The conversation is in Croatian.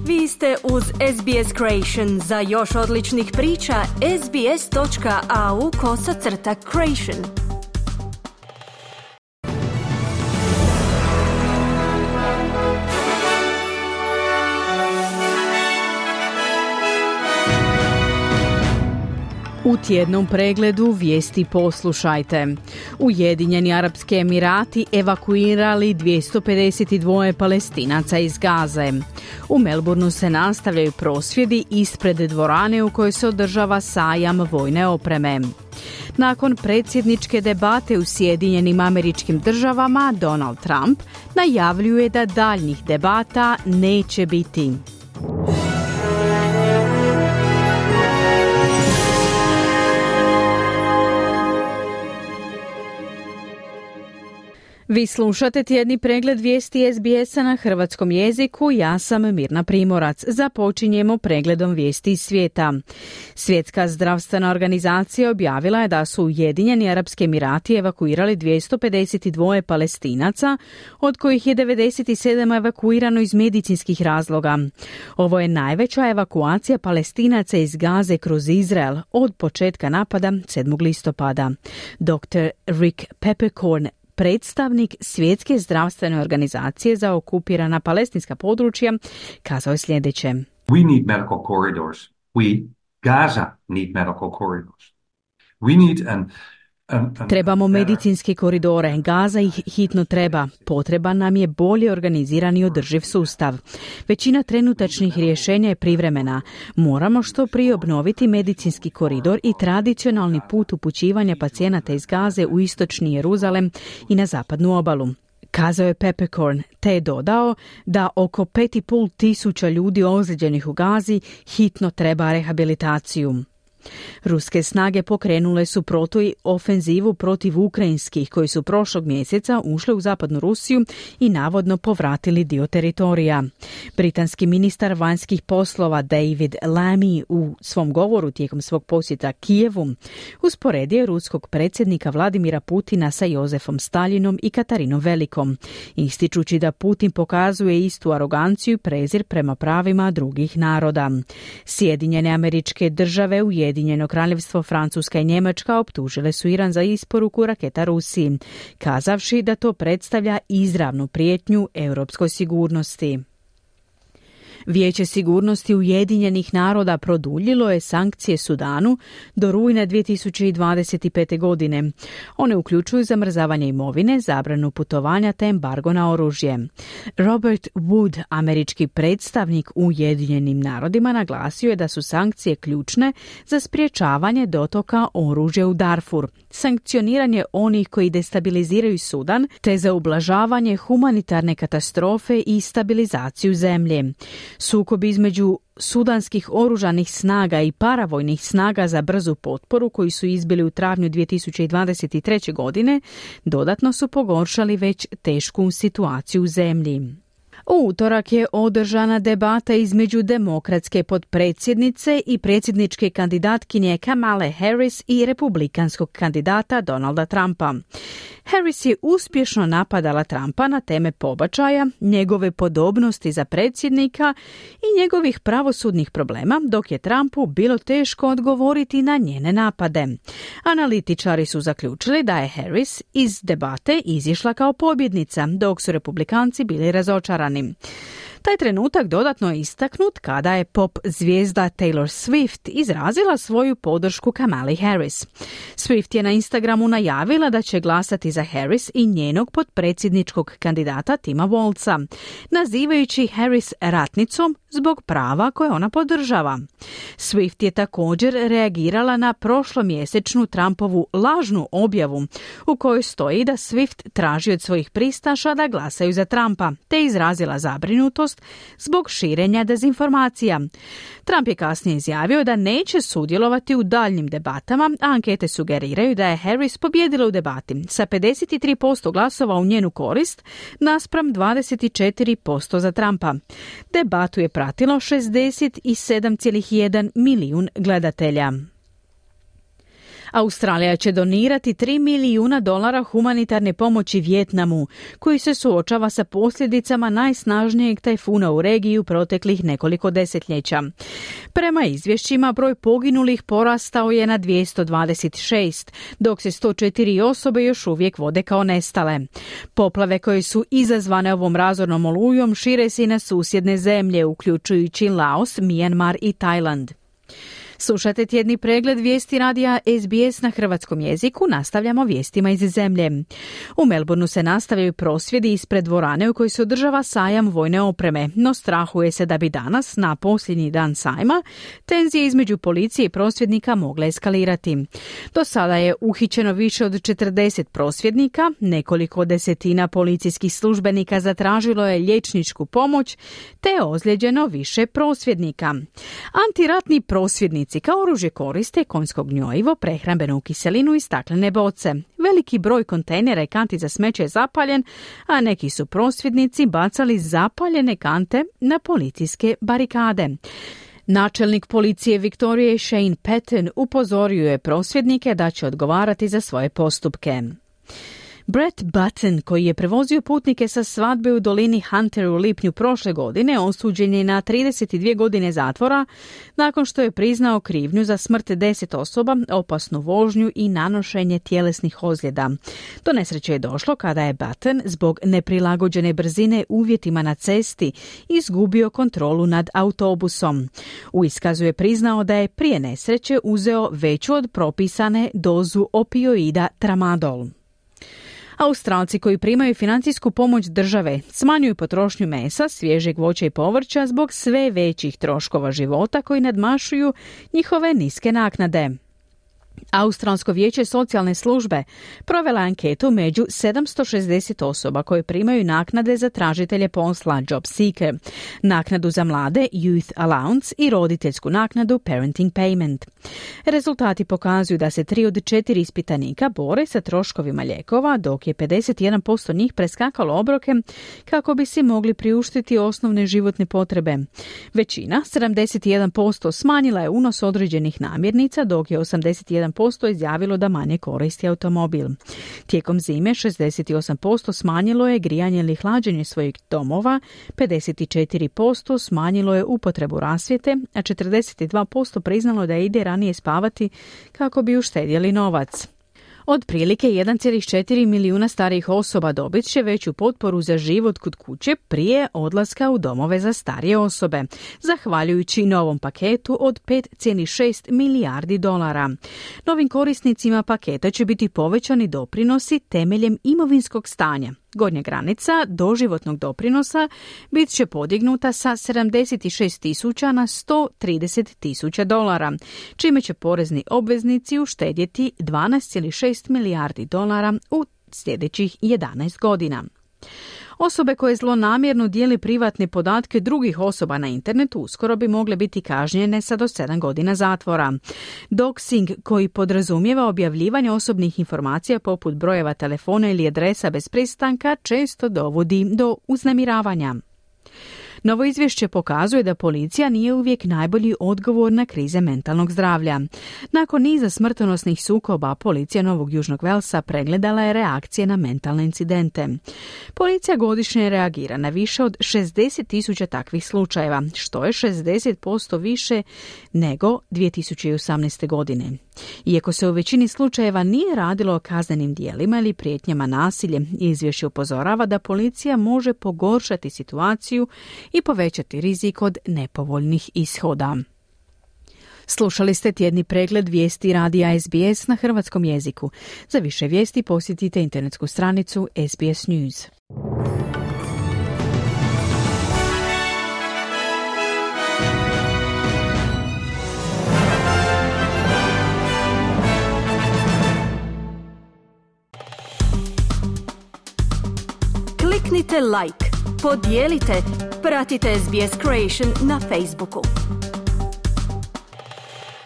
Vi ste uz SBS Creation. Za još odličnih priča, sbs.au/creation. U tjednom pregledu vijesti poslušajte. Ujedinjeni Arapski Emirati evakuirali 252 Palestinaca iz Gaze. U Melbourneu se nastavljaju prosvjedi ispred dvorane u kojoj se održava sajam vojne opreme. Nakon predsjedničke debate u Sjedinjenim Američkim Državama, Donald Trump najavljuje da daljnjih debata neće biti. Vi slušate tjedni pregled vijesti SBS-a na hrvatskom jeziku. Ja sam Mirna Primorac. Započinjemo pregledom vijesti iz svijeta. Svjetska zdravstvena organizacija objavila je da su Ujedinjeni Arapski Emirati evakuirali 252 Palestinaca, od kojih je 97 evakuirano iz medicinskih razloga. Ovo je najveća evakuacija Palestinaca iz Gaze kroz Izrael od početka napada 7. listopada. Dr. Rick Peppercorn, predstavnik Svjetske zdravstvene organizacije za okupirana palestinska područja, kazao je sljedeće. We need medical corridors. Gaza need medical corridors. We need Trebamo medicinske koridore. Gaza ih hitno treba. Potreban nam je bolje organiziran i održiv sustav. Većina trenutačnih rješenja je privremena. Moramo što prije obnoviti medicinski koridor i tradicionalni put upućivanja pacijenata iz Gaze u istočni Jeruzalem i na zapadnu obalu, kazao je Peppercorn, te je dodao da oko 5.500 ljudi ozlijeđenih u Gazi hitno treba rehabilitaciju. Ruske snage pokrenule su protuofenzivu protiv ukrajinskih koji su prošlog mjeseca ušli u zapadnu Rusiju i navodno povratili dio teritorija. Britanski ministar vanjskih poslova David Lammy u svom govoru tijekom svog posjeta Kijevu usporedio je ruskog predsjednika Vladimira Putina sa Jozefom Staljinom i Katarinom Velikom, ističući da Putin pokazuje istu aroganciju i prezir prema pravima drugih naroda. Sjedinjene Američke Države, Ujedinjeno Kraljevstvo, Francuska i Njemačka optužile su Iran za isporuku raketa Rusiji, kazavši da to predstavlja izravnu prijetnju europskoj sigurnosti. Vijeće sigurnosti Ujedinjenih naroda produljilo je sankcije Sudanu do rujna 2025. godine. One uključuju zamrzavanje imovine, zabranu putovanja te embargo na oružje. Robert Wood, američki predstavnik u Ujedinjenim narodima, naglasio je da su sankcije ključne za sprječavanje dotoka oružja u Darfur, sankcioniranje onih koji destabiliziraju Sudan te za ublažavanje humanitarne katastrofe i stabilizaciju zemlje. Sukob između sudanskih oružanih snaga i paravojnih snaga za brzu potporu koji su izbili u travnju 2023. godine dodatno su pogoršali već tešku situaciju u zemlji. U utorak je održana debata između demokratske potpredsjednice i predsjedničke kandidatkinje Kamale Harris i republikanskog kandidata Donalda Trumpa. Harris je uspješno napadala Trumpa na teme pobačaja, njegove podobnosti za predsjednika i njegovih pravosudnih problema, dok je Trumpu bilo teško odgovoriti na njene napade. Analitičari su zaključili da je Harris iz debate izišla kao pobjednica, dok su republikanci bili razočarani. Taj trenutak dodatno je istaknut kada je pop zvijezda Taylor Swift izrazila svoju podršku Kamali Harris. Swift je na Instagramu najavila da će glasati za Harris i njenog potpredsjedničkog kandidata Tima Walza, nazivajući Harris ratnicom zbog prava koje ona podržava. Swift je također reagirala na prošlomjesečnu Trumpovu lažnu objavu u kojoj stoji da Swift traži od svojih pristaša da glasaju za Trumpa, te izrazila zabrinutost zbog širenja dezinformacija. Trump je kasnije izjavio da neće sudjelovati u daljnjim debatama, a ankete sugeriraju da je Harris pobijedila u debati sa 53% glasova u njenu korist naspram 24% za Trumpa. Debatu je pratilo 67,1 milijun gledatelja. Australija će donirati $3 milijuna humanitarne pomoći Vijetnamu, koji se suočava sa posljedicama najsnažnijeg tajfuna u regiji u proteklih nekoliko desetljeća. Prema izvješćima, broj poginulih porastao je na 226, dok se 104 osobe još uvijek vode kao nestale. Poplave koje su izazvane ovom razornom olujom šire se i na susjedne zemlje, uključujući Laos, Mijanmar i Tajland. Slušajte tjedni pregled vijesti radija SBS na hrvatskom jeziku, nastavljamo vijestima iz zemlje. U Melbourneu se nastavljaju prosvjedi ispred dvorane u kojoj se održava sajam vojne opreme, no strahuje se da bi danas, na posljednji dan sajma, tenzije između policije i prosvjednika mogle eskalirati. Do sada je uhićeno više od 40 prosvjednika, nekoliko desetina policijskih službenika zatražilo je liječničku pomoć, te je ozlijeđeno više prosvjednika. Antiratni prosvjednici kao oružje koriste konjsko gnojivo, prehrambenu kiselinu i staklene boce. Veliki broj kontejnera i kanti za smeće je zapaljen, a neki su prosvjednici bacali zapaljene kante na policijske barikade. Načelnik policije Viktorije Shane Patton upozorio je prosvjednike da će odgovarati za svoje postupke. Brett Button, koji je prevozio putnike sa svadbe u dolini Hunter u lipnju prošle godine, osuđen je na 32 godine zatvora nakon što je priznao krivnju za smrt 10 osoba, opasnu vožnju i nanošenje tjelesnih ozljeda. Do nesreće je došlo kada je Button zbog neprilagođene brzine uvjetima na cesti izgubio kontrolu nad autobusom. U iskazu je priznao da je prije nesreće uzeo veću od propisane dozu opioida tramadol. Australci koji primaju financijsku pomoć države smanjuju potrošnju mesa, svježeg voća i povrća zbog sve većih troškova života koji nadmašuju njihove niske naknade. Australsko vijeće socijalne službe provela anketu među 760 osoba koje primaju naknade za tražitelje posla Job Seeker, naknadu za mlade Youth Allowance i roditeljsku naknadu Parenting Payment. Rezultati pokazuju da se 3 od 4 ispitanika bore sa troškovima lijekova, dok je 51% njih preskakalo obroke kako bi si mogli priuštiti osnovne životne potrebe. Većina, 71%, smanjila je unos određenih namirnica, dok je 81% izjavilo da manje koristi automobil. Tijekom zime 68% smanjilo je grijanje ili hlađenje svojih domova, 54% smanjilo je upotrebu rasvjete, a 42% priznalo da ide ranije spavati kako bi uštedjeli novac. Otprilike 1,4 milijuna starijih osoba dobit će veću potporu za život kod kuće prije odlaska u domove za starije osobe, zahvaljujući novom paketu od $5,6 milijardi. Novim korisnicima paketa će biti povećani doprinosi temeljem imovinskog stanja. Gornja granica doživotnog doprinosa bit će podignuta sa $76,000 na $130,000, čime će porezni obveznici uštedjeti $12,6 milijardi u sljedećih 11 godina. Osobe koje zlonamjerno dijeli privatne podatke drugih osoba na internetu uskoro bi mogle biti kažnjene sa do 7 godina zatvora. Doxing, koji podrazumijeva objavljivanje osobnih informacija poput brojeva telefona ili adresa bez pristanka, često dovodi do uznemiravanja. Novo izvješće pokazuje da policija nije uvijek najbolji odgovor na krize mentalnog zdravlja. Nakon niza smrtonosnih sukoba, policija Novog Južnog Velsa pregledala je reakcije na mentalne incidente. Policija godišnje reagira na više od 60,000 takvih slučajeva, što je 60% više nego 2018. godine. Iako se u većini slučajeva nije radilo o kaznenim djelima ili prijetnjama nasiljem, izvješće upozorava da policija može pogoršati situaciju i povećati rizik od nepovoljnih ishoda. Slušali ste tjedni pregled vijesti radija SBS na hrvatskom jeziku. Za više vijesti posjetite internetsku stranicu SBS News. Kliknite like, podijelite, pratite SBS Creation na Facebooku.